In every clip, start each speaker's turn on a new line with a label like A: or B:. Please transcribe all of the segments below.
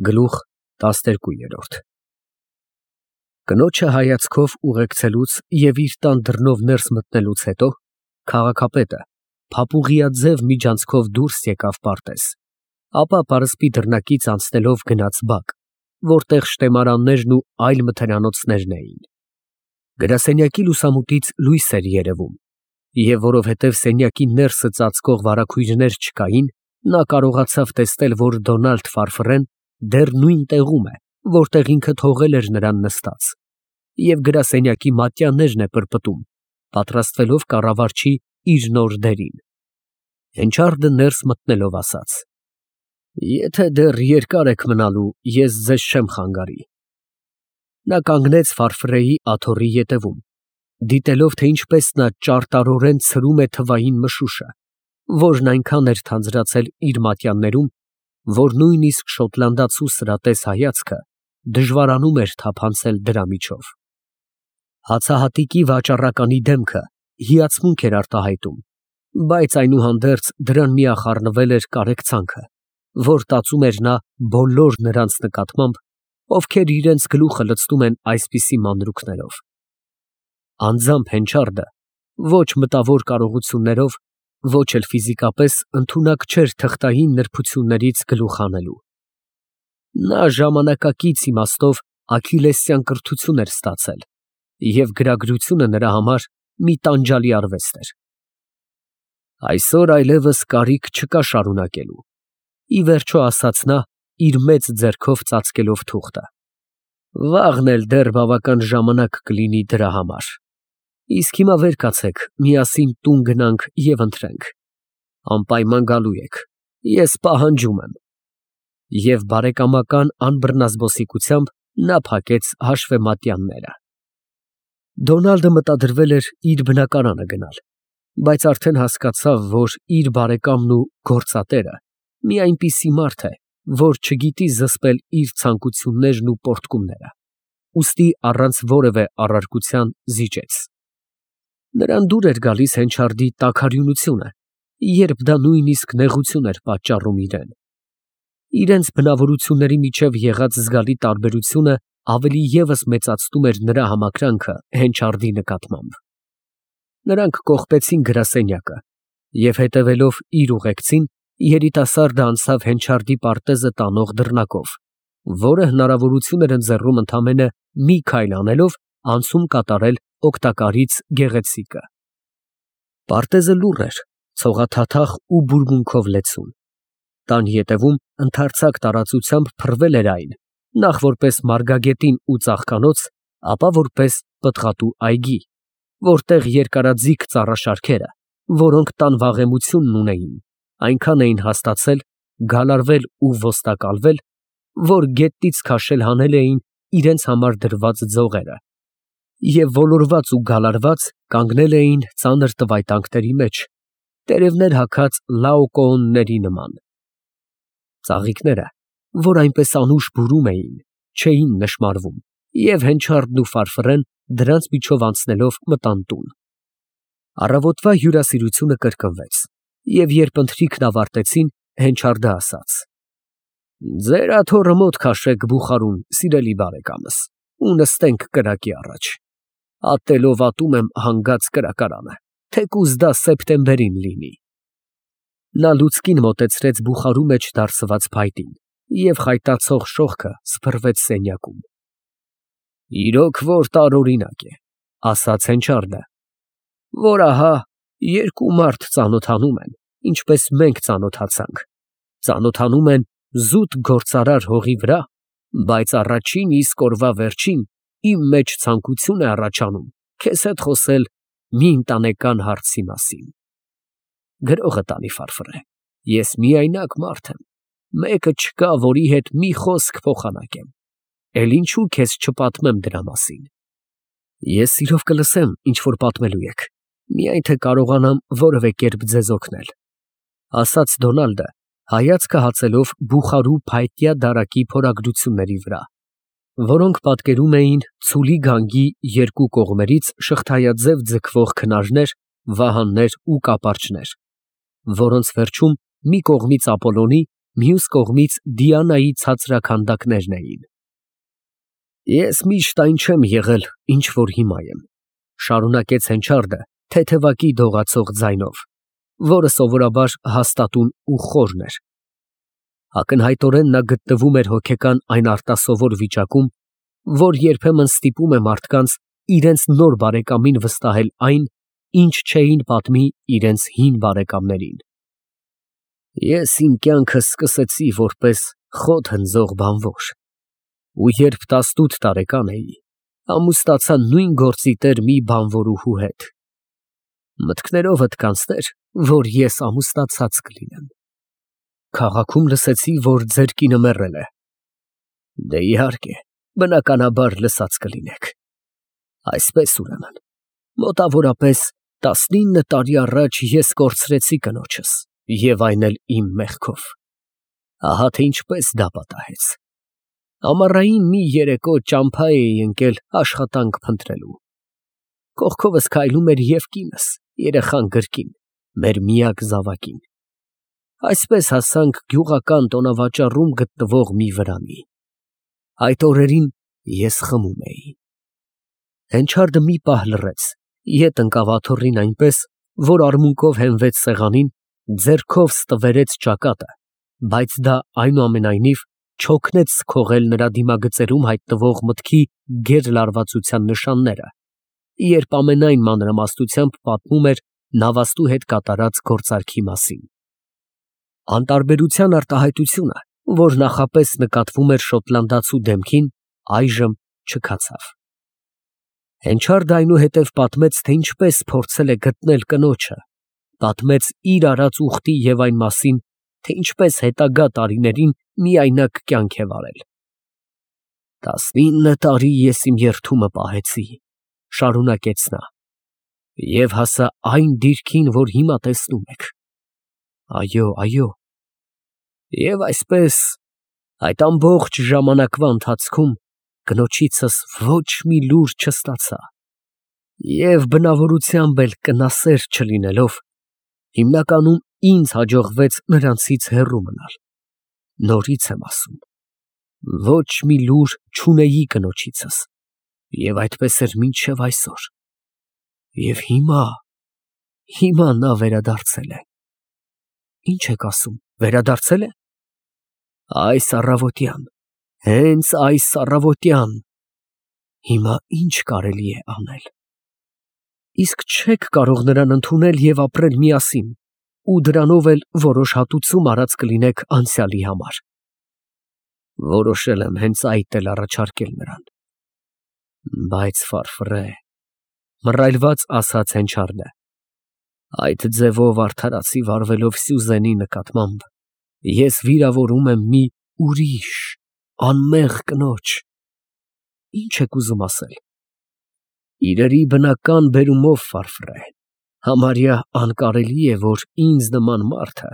A: Գլուխ 12 Կնոջը հայացքով ուղեկցելուց և իր տան դռնով ներս մտնելուց հետո քաղաքապետը փափուղիաձև միջանցքով դուրս եկավ պարտեզ, ապա պարսպի դռնակից անցնելով գնաց բակ, որտեղ շտեմարաններն ու այլ մթնրանոցներն էին։ Գրասենյակի լուսամուտից լույս էր երևում, և որովհետև սենյակի ներսը ծածկող վարագույրներ չկային, նա կարողացավ տեսնել, որ Դոնալդ Ֆարֆռեն դեռ նույն տեղում է, որտեղ ինքը թողել էր նրան նստած, և գրասենյակի մատյաններն է պրպտում, պատրաստվելով կառավարչի իր նոր դերին։ Հենչարդը ներս մտնելով ասաց. «Եթե դեռ երկար եք մնալու, ես ձեզ չեմ խանգարի»։ Նա կանգնեց Ֆարֆռեի աթոռի ետևում, դիտելով, թե ինչպես նա ճարտարորեն ցրում է թվային մշուշը, որն այնքան էր թանձրացել իր մատյաններում, որ նույնիսկ շոտլանդացու սրատես հայացքը դժվարանում էր թափանցել դրա միջով։ Հացահատիկի վաճառականի դեմքը հիացմունք էր արտահայտում, բայց այնուհանդերձ դրան միախառնվել էր կարեկցանքը, որ տածում էր նա բոլոր նրանց նկատմամբ, ովքեր իրենց գլուխը լցնում են այսպիսի մանրուքներով։ Անձամբ Հենչարդը ոչ մտավոր կարողություններով, ոչ էլ ֆիզիկապես ընդունակ չէր թղթային նրբություններից գլուխ հանելու։ Նա ժամանակակից իմաստով աքիլեսյան կրթություն էր ստացել, և գրագրությունը նրա համար մի տանջալի արվեստ էր։ Այսօր այլևս կարիք չկա շարունակելու, ի վերջո ասաց նա, իր մեծ ձեռքով ծածկելով թուղթը։ Վաղն էլ դեռ բավական ժամանակ կլինի դրա համար։ Իսկ հիմա վեր կացեք, միասին տուն գնանք և ընթրենք։ Անպայման գալու եք, ես պահանջում եմ։ Եվ բարեկամական անբռնազբոսիկությամբ նա փակեց հաշվեմատյանները։ Դոնալդը մտադրվել էր իր բնակարանը գնալ, բայց արդեն հասկացավ, որ իր բարեկամն ու գործատերը մի այնպիսի մարդ է, որ չգիտի զսպել իր ցանկություններն ու պոռթկումները, ուստի առանց որևէ առարկության զիջեց։ Նրան դուր էր գալիս Հենչարդի տաքարյունությունը, երբ դա նույնիսկ նեղություն էր պատճառում իրան։ Իրենց բնավորությունների միջև եղած զգալի տարբերությունը ավելի ևս մեծացնում էր նրա համակրանքը Հենչարդի նկատմամբ։ Նրանք կողպեցին գրասենյակը և, հետևելով իր ուղեկցին, երիտասարդը անցավ Հենչարդի պարտեզը տանող դռնակով, որը հնարավորություն էր ընձեռում ընդամենը մի քայլ անելով անցում կատարել օգտակարից գեղեցիկը։ Պարտեզը լուռ էր, ցողաթաթախ ու բուրմունքով լեցուն։ Տան ետևում ընդարձակ տարածությամբ փռվել էր այն, նախ որպես մարգագետին ու ծաղկանոց, ապա որպես պտղատու այգի, որտեղ երկարաձիգ ծառաշարքերը, որոնք տան վաղեմությունն ունեին, այնքան էին հաստացել, գալարվել ու ոստակալվել, որ գետնից քաշել հանել էին իրենց համար դրված ձողերը, և ոլորված ու գալարված կանգնել էին ծանր տվայտանքների մեջ, տերևներ հագած լաոկոոնների նման։ Ծաղիկները, որ այնպես անուշ բուրում էին, չէին նշմարվում, և Հենչարդն ու Ֆարֆռեն դրանց միջով անցնելով մտան տուն։ Առավոտվա հյուրասիրությունը կրկնվեց, և երբ ընթրիքն ավարտեցին, Հենչարդը ասաց. «Ձեր աթոռը մոտ քաշեք բուխարուն, սիրելի բարեկամս, ու նստենք կրակի առաջ։ Ատելով ատում եմ հանգած կրակարանը, թեկուզ դա սեպտեմբերին լինի»։ Նա լուցկին մոտեցրեց բուխարու մեջ դարսված փայտին, և խայտացող շողքը սփռվեց սենյակում։ «Իրոք որ տարօրինակ է, ֊ ասաց Հենչարդը, ֊ որ ահա երկու մարդ ծանոթանում են, ինչպես մենք ծանոթացանք, ծանոթանում են զուտ գործարար հողի վրա, բայց առաջին իսկ օրվա վերջին իմ մեջ ցանկություն է առաջանում քեզ հետ խոսել մի ընտանեկան հարցի մասին։ Գրողը տանի, Ֆարֆռե, ես միայնակ մարդ եմ, մեկը չկա, որի հետ մի խոսք փոխանակեմ, էլ ինչու քեզ չպատմեմ դրա մասին։ Ես սիրով կլսեմ, ինչ որ պատմելու եք, միայն թե կարողանամ որևէ կերպ ձեզ օգնել, ֊ ասաց Դոնալդը, հայացքը հացելով բուխարու փայտյա դարակի փորագրությունների վրա, որոնք պատկերում էին ցուլի գանգի երկու կողմերից շղթայաձև ձգվող քնարներ, վահաններ ու կապարճներ, որոնց վերջում մի կողմից Ապոլոնի, Մյուս կողմից Դիանայի ցածրաքանդակներն էին։ Ես միշտ այն չեմ եղել, ինչ որ հիմա եմ, շարունակեց Հենչարդը թեթևակի դողացող ձայնով, որը սովորաբար հաստատուն ու խորն էր։ Ակնհայտորեն նա գտնվում էր հոգեկան այն արտասովոր վիճակում, որ երբեմն ստիպում է մարդկանց իրենց նոր բարեկամին վստահել այն, ինչ չէին պատմի իրենց հին բարեկամներին։ Ես իմ կյանքը սկսեցի որպես խոտ հնձող բանվոր, ու երբ 18 տարեկան էի, ամուսնացա նույն գործի տեր մի բանվորուհու հետ։ Մտքներովդ կանցներ, որ ես ամուսնացած կլինեմ։ Քաղաքում լսեցի, որ ձեր կինը մեռել է։ Դե իհարկե, բնականաբար լսած կլինեք։ Այսպես ուրեմն, մոտավորապես 19 տարի առաջ ես կորցրեցի կնոջս, և այն էլ իմ մեղքով։ Ահա թե ինչպես դա պատահեց։ Ամառային մի երեկո ճամփա էի ընկել աշխատանք փնտրելու։ Կողքովս քայլում էր և կինս, երեխան գրկին, մեր միակ զավակին։ Այսպես հասանք գյուղական տոնավաճառում գտնվող մի վրանի։ Այդ օրերին ես խմում էի։ Հենչարդը մի պահ լռեց, ետ ընկավ աթոռին այնպես, որ արմունկով հենվեց սեղանին, ձեռքով ստվերեց ճակատը, բայց դա այնուամենայնիվ չօգնեց քողել նրա դիմագծերում հայտնվող մտքի գերլարվածության նշանները, երբ ամենայն մանրամասնությամբ պատմում էր նավաստու հետ կատարած գործարքի մասին։ Անտարբերության արտահայտությունը, որ նախապես նկատվում էր շոտլանդացու դեմքին, այժմ չքացավ։ Հենչարդը այնուհետև պատմեց, թե ինչպես փորձել է գտնել կնոջը, պատմեց իր արած ուխտի և այն մասին, թե ինչպես հետագա տարիներին միայնակ կյանք է վարել։ 19 տարի ես իմ երդումը պահեցի, շարունակեց նա, և հասա այն դիրքին, որ հիմա տեսնում եք։ Այո, և այսպես այդ ամբողջ ժամանակվա ընթացքում կնոջիցս ոչ մի լուր չստացա, և բնավորությամբ էլ կնասեր չլինելով, հիմնականում ինձ հաջողվեց նրանցից հեռու մնալ։ Նորից եմ ասում, ոչ մի լուր չունեի կնոջիցս, և այդպես էր մինչև այսօր։ Եվ հիմա նա վերադարձել է։ Ինչ եք ասում, վերադարձել է։ Այս առավոտյան, հենց այս առավոտյան։ Հիմա ինչ կարելի է անել։ Իսկ չեք կարող նրան ընդունել և ապրել միասին, ու դրանով էլ որոշ հատուցում արած կլինեք անցյալի համար։ Որոշել եմ հենց այդ էլ առաջարկել նրան։ Բայց մռայլված ասաց Հենչարդը, այդ ձևով արդարացի վարվելով Սյուզենի նկատմամբ, ես վիրավորում եմ մի ուրիշ, անմեղ կնոջ։ Ինչ եք ուզում ասել։ Իրերի բնական բերումով, համարյա անկարելի է, որ ինձ նման մարդը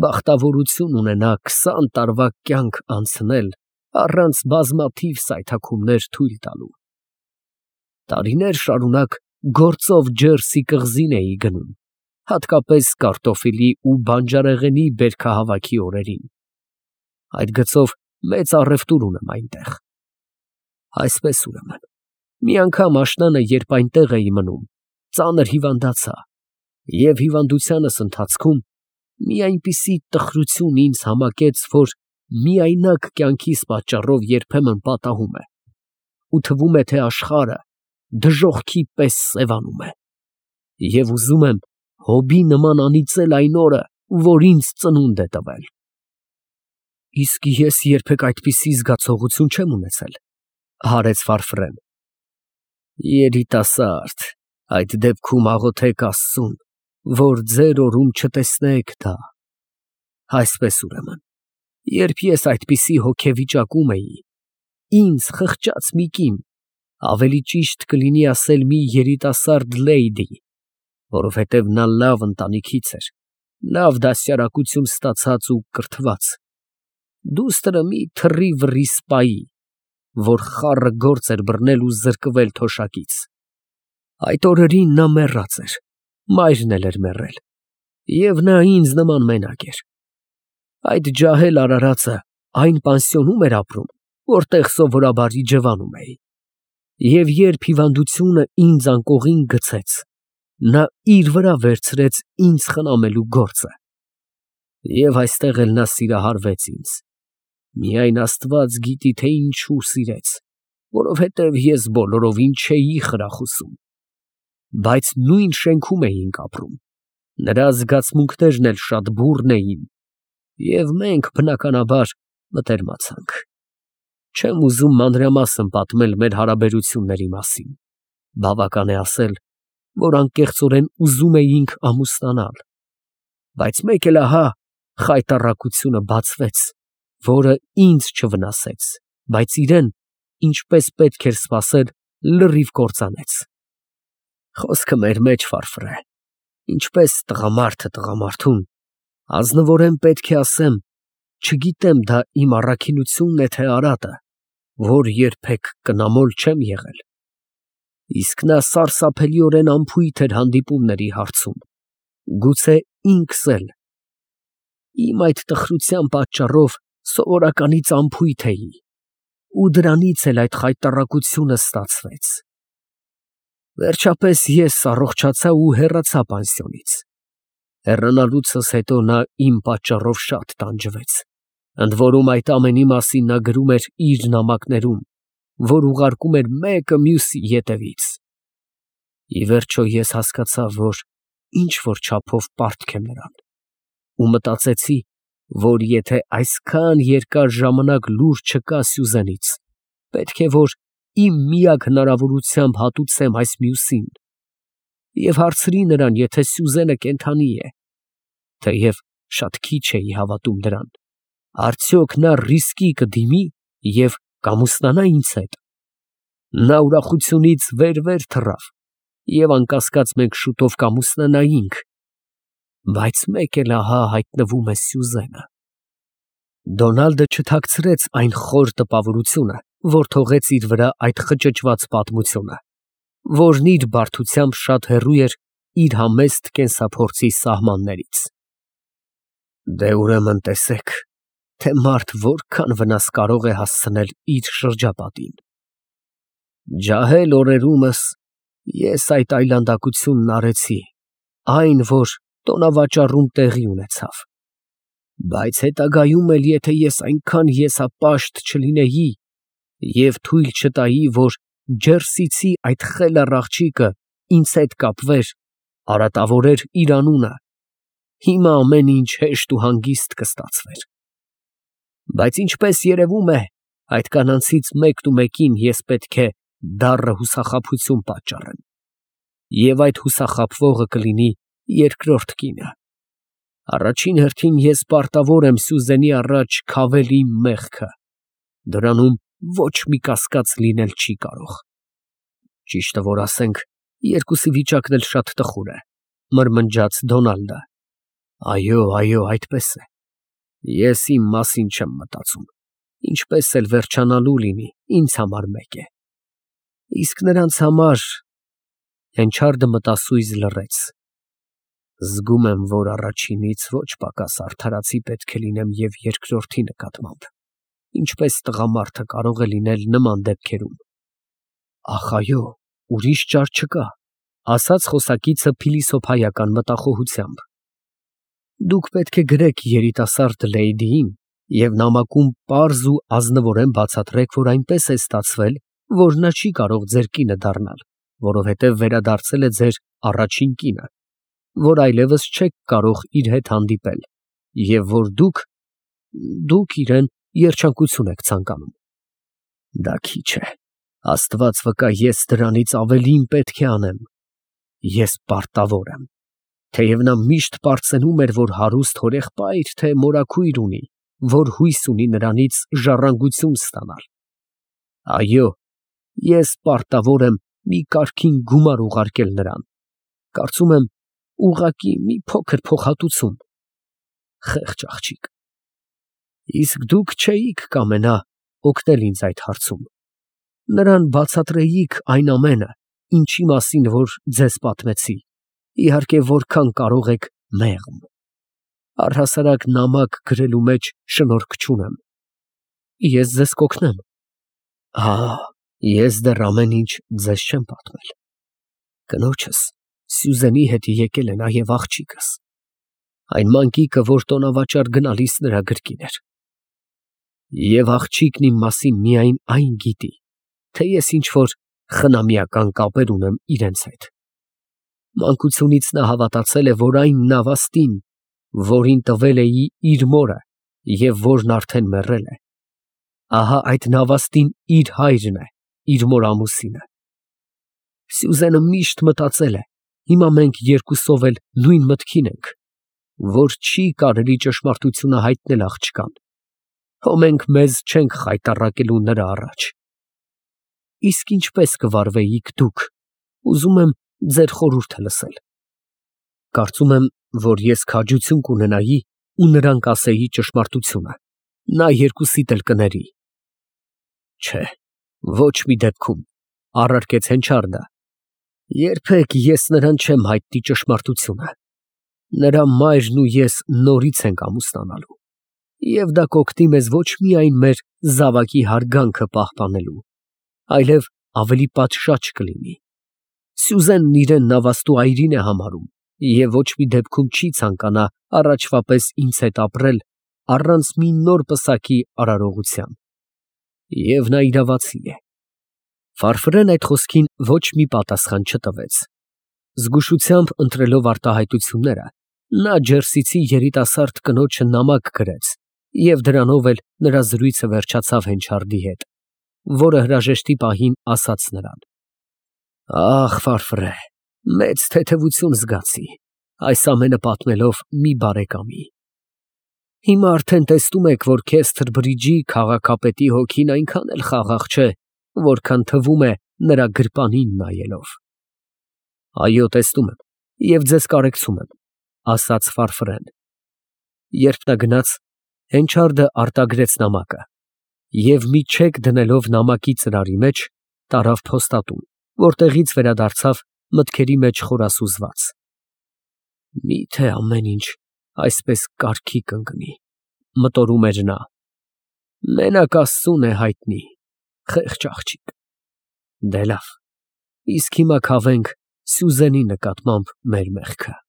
A: բախտավորություն ունենա 20 տարվա կյանք անցնել առանց բազմաթիվ սայթաքումներ թույլ տալու։ Տարիներ շարունակ գործով ջերսի կղզին էի գնում, հատկապես կարտոֆիլի ու բանջարեղենի բերքահավաքի օրերին։ Այդ գծով մեծ առևտուր ունեմ այնտեղ։ Այսպես ուրեմն, մի անգամ աշնանը, երբ այնտեղ էի մնում, ծանր հիվանդացա, և հիվանդությանս ընթացքում մի այնպիսի տխրություն ինձ համակեց, որ միայնակ կյանքիս պատճառով երբեմն պատահում է, ու թվում է, թե աշխարհը դժոխքի պես սևանում է, և ուզում եմ Հոբի նման անիծել այն օրը, որ ինձ ծնունդ է տվել։ Իսկ ես երբեք այդպիսի զգացողություն չեմ ունեցել, հարեց Ֆարֆրեն։ Երիտասարդ, այդ դեպքում աղոթեք Աստծուն, որ ձեր օրում չտեսնեք դա։ Այսպես ուրեմն, երբ ես այդպիսի հոգեվիճակում էի, ինձ խղճաց մի կին, ավելի ճիշտ կլինի ասել մի երիտասարդ լեյդի, որովհետև նա լավ ընտանիքից էր, լավ դաստիարակություն ստացած ու կրթված, դուստրը մի թռի սպայի, որ խառը գործ էր բռնել ու զրկվել թոշակից։ Այդ օրերին նա մեռած էր, մայրն էլ էր մեռել, և նա ինձ նման մենակ էր։ Այդ ջահել արարածը այն պանսիոնում էր ապրում, որտեղ սովորաբար իջևանում էի, և երբ հիվանդությունը ինձ անկողին գցեց, նա իր վրա վերցրեց ինձ խնամելու գործը, և այստեղ էլ նա սիրահարվեց ինձ, միայն Աստված գիտի, թե ինչու սիրեց, որովհետև ես բոլորովին չէի խրախուսում, բայց նույն շենքում էինք ապրում, նրա զգացմունքներն էլ շատ բուռն էին, և մենք բնականաբար մտերմացանք։ Չեմ ուզում մանրամասն պատմել մեր հարաբերությունների մասին, բավական է ասել, որ անկեղծորեն ուզում էինք ամուսնանալ, բայց մեկ էլ ահա խայտառակությունը բացվեց, որը ինձ չվնասեց, բայց իրեն, ինչպես պետք էր սպասել, լրիվ կործանեց։ Խոսքը մեր մեջ ֆարֆր է, ինչպես տղամարդը տղամարդուն, ազնվորեն պետք է ասեմ, չգիտեմ դա իմ առաքինությունն է, թե արատը, որ երբեք կնամոլ չեմ եղել, իսկ նա սարսափելիորեն անփույթ էր հանդիպումների հարցում, գուցե ինքս էլ, իմ այդ տխրության պատճառով սովորականից անփույթ էի, ու դրանից էլ այդ խայտառակությունը ստացվեց։ Վերջապես ես առողջացա ու հեռացա պանսիոնից։ Հեռանալուցս հետո նա իմ պատճառով շատ տանջվեց, ընդ որում այդ ամենի մասին նա գրում էր իր նամակներում, որ ուղարկում էր մեկը մյուսի ետևից։ Ի վերջո ես հասկացա, որ ինչ-որ չափով պարտք եմ նրան, ու մտածեցի, որ եթե այսքան երկար ժամանակ լուր չկա Սյուզենից, պետք է որ իմ միակ հնարավորությամբ հատուցեմ այս մյուսին, և հարցրի նրան, եթե Սյուզենը կենդանի է, թեև շատ քիչ էի հավատում դրան, արդյոք նա ռիսկի կդիմի և կամուսնանա ինձ հետ։ Նա ուրախությունից վեր թռավ, և անկասկած մենք շուտով կամուսնանայինք, բայց մեկ էլ ահա հայտնվում է Սյուզենը։ Դոնալդը չթաքցրեց այն խոր տպավորությունը, որ թողեց իր վրա այդ խճճված պատմությունը, որն իր բարդությամբ շատ հեռու էր իր համեստ կենսափորձի սահմաններից։ Դե ուրեմն տեսեք, թե մարդ որքան վնաս կարող է հասցնել իր շրջապատին։ Ջահել օրերումս ես այդ այլանդակությունն արեցի, այն, որ տոնավաճառում տեղի ունեցավ, բայց հետագայում էլ եթե ես այնքան եսապաշտ չլինեի և թույլ չտայի, որ Ջերսիցի այդ խելառ աղջիկը ինձ հետ կապվեր, արատավորեր իր անունը, հիմա ամեն ինչ հեշտ ու հանգիստ կստացվեր։ Բայց ինչպես երևում է, այդ կանանցից մեկին ես պետք է դառը հուսախաբություն պատճառեմ, և այդ հուսախաբվողը կլինի երկրորդ կինը։ Առաջին հերթին ես պարտավոր եմ Սյուզենի առաջ քավել իմ մեղքը, դրանում ոչ մի կասկած լինել չի կարող։ Ճիշտը որ ասենք, երկուսի վիճակն էլ շատ տխուր է, մրմնջաց Դոնալդը։ Այո, այդպես է։ Ես իմ մասին չեմ մտածում, ինչպես էլ վերջանալու լինի, ինձ համար մեկ է։ Իսկ նրանց համար… Հենչարդը մտասույզ լռեց։ Զգում եմ, որ առաջինից ոչ պակաս արդարացի պետք է լինեմ և երկրորդի նկատմամբ, ինչպես տղամարդը կարող է լինել նման դեպքերում։ Ախ, այո, ուրիշ ճար չկա, ասաց խոսակիցը փիլիսոփայական մտախոհությամբ։ Դուք պետք է գրեք երիտասարդ լեյդիին և նամակում պարզ ու ազնվորեն բացատրեք, որ այնպես է ստացվել, որ նա չի կարող ձեր կինը դառնալ, որովհետև վերադարձել է ձեր առաջին կինը, որ այլևս չեք կարող իր հետ հանդիպել, և որ դուք իրան երջանկություն եք ցանկանում։ Դա քիչ է, Աստված վկա, ես դրանից ավելին պետք է անեմ։ Ես պարտավոր եմ, թեև նա միշտ պարծենում էր, որ հարուստ հորեղբայր թե մորաքույր ունի, որ հույս ունի նրանից ժառանգություն ստանալ։ Այո, ես պարտավոր եմ մի կարգին գումար ուղարկել նրան, կարծում եմ ուղղակի մի փոքր փոխհատուցում։ Խեղճ աղջիկ։ Իսկ դուք չէիք կամենա օգնել ինձ այդ հարցում, նրան բացատրեիք այն ամենը, ինչի մասին որ ձեզ պատմեցի, իհարկե որքան կարող եք մեղմ։ Առհասարակ նամակ գրելու մեջ շնորհք չունեմ։ Ես ձեզ կօգնեմ։ Ես դեռ ամեն ինչ ձեզ չեմ պատմել։ Կնոջս Սյուզենի հետ եկել է նաև աղջիկս, այն մանկիկը, որ տոնավաճառ գնալիս նրա գրկին էր։ Եվ աղջիկն իմ մասին միայն այն գիտի, թե ես ինչ-որ խնամիական կապեր ունեմ իրենց հետ։ Մանկությունից նա հավատացել է, որ այն նավաստին, որին տվել էի իր մորը և որն արդեն մեռել է, ահա այդ նավաստին իր հայրն է, իր մոր ամուսինը։ Սյուզենը միշտ մտածել է, հիմա մենք երկուսով էլ նույն մտքին ենք, որ չի կարելի ճշմարտությունը հայտնել աղջկան, հո մենք մեզ չենք խայտառակելու նրա առաջ։ Իսկ ինչպես կվարվեիք դուք, ուզում եմ ձեր խորհուրդը լսել։ Կարծում եմ, որ ես քաջություն կունենայի ու նրան կասեի ճշմարտությունը, նա երկուսիդ էլ կների։ Չէ, ոչ մի դեպքում, առարկեց Հենչարդը, երբեք ես նրան չեմ հայտնի ճշմարտությունը։ Նրա մայրն ու ես նորից ենք ամուսնանալու, և դա կօգնի մեզ ոչ միայն մեր զավակի հարգանքը պահպանելու, այլև ավելի պատշաճ կլինի։ Սյուզենն իրեն նավաստու այրին է համարում և ոչ մի դեպքում չի ցանկանա առաջվա պես ինձ հետ ապրել առանց մի նոր պսակի արարողության։ Եվ նա իրավացի է։ Ֆարֆրեն այդ խոսքին ոչ մի պատասխան չտվեց։ Զգուշությամբ ընտրելով արտահայտությունները, նա ջերսիցի երիտասարդ կնոջը նամակ գրեց և դրանով էլ նրա զրույցը վերջացավ Հենչարդի հետ, որը հրաժեշտի պահին ասաց նրան. Ախ, Ֆարֆրե, մեծ թեթևություն զգացի այս ամենը պատմելով մի բարեկամի։ Հիմա արդեն տեսնում եք, որ Քեսթր Բրիջի քաղաքապետի հոգին այնքան էլ խաղաղ չէ, որքան թվում է նրա գրպանին նայելով։ Այո, տեսնում եմ և ձեզ կարեկցում եմ, ասաց Ֆարֆրեն։ Երբ նա գնաց, Հենչարդը արտագրեց նամակը և մի չեք դնելով նամակի ծրարի մեջ, տարավ փոստատուն, որտեղից վերադարձավ մտքերի մեջ խորասուզված։ Միթե ամեն ինչ այսպես կարգի կընկնի, մտորում էր նա։ Մենակ Աստծուն է հայտնի, խեղճ աղջիկ։ Դե լավ, իսկ հիմա քավենք Սյուզենի նկատմամբ մեր մեղքը։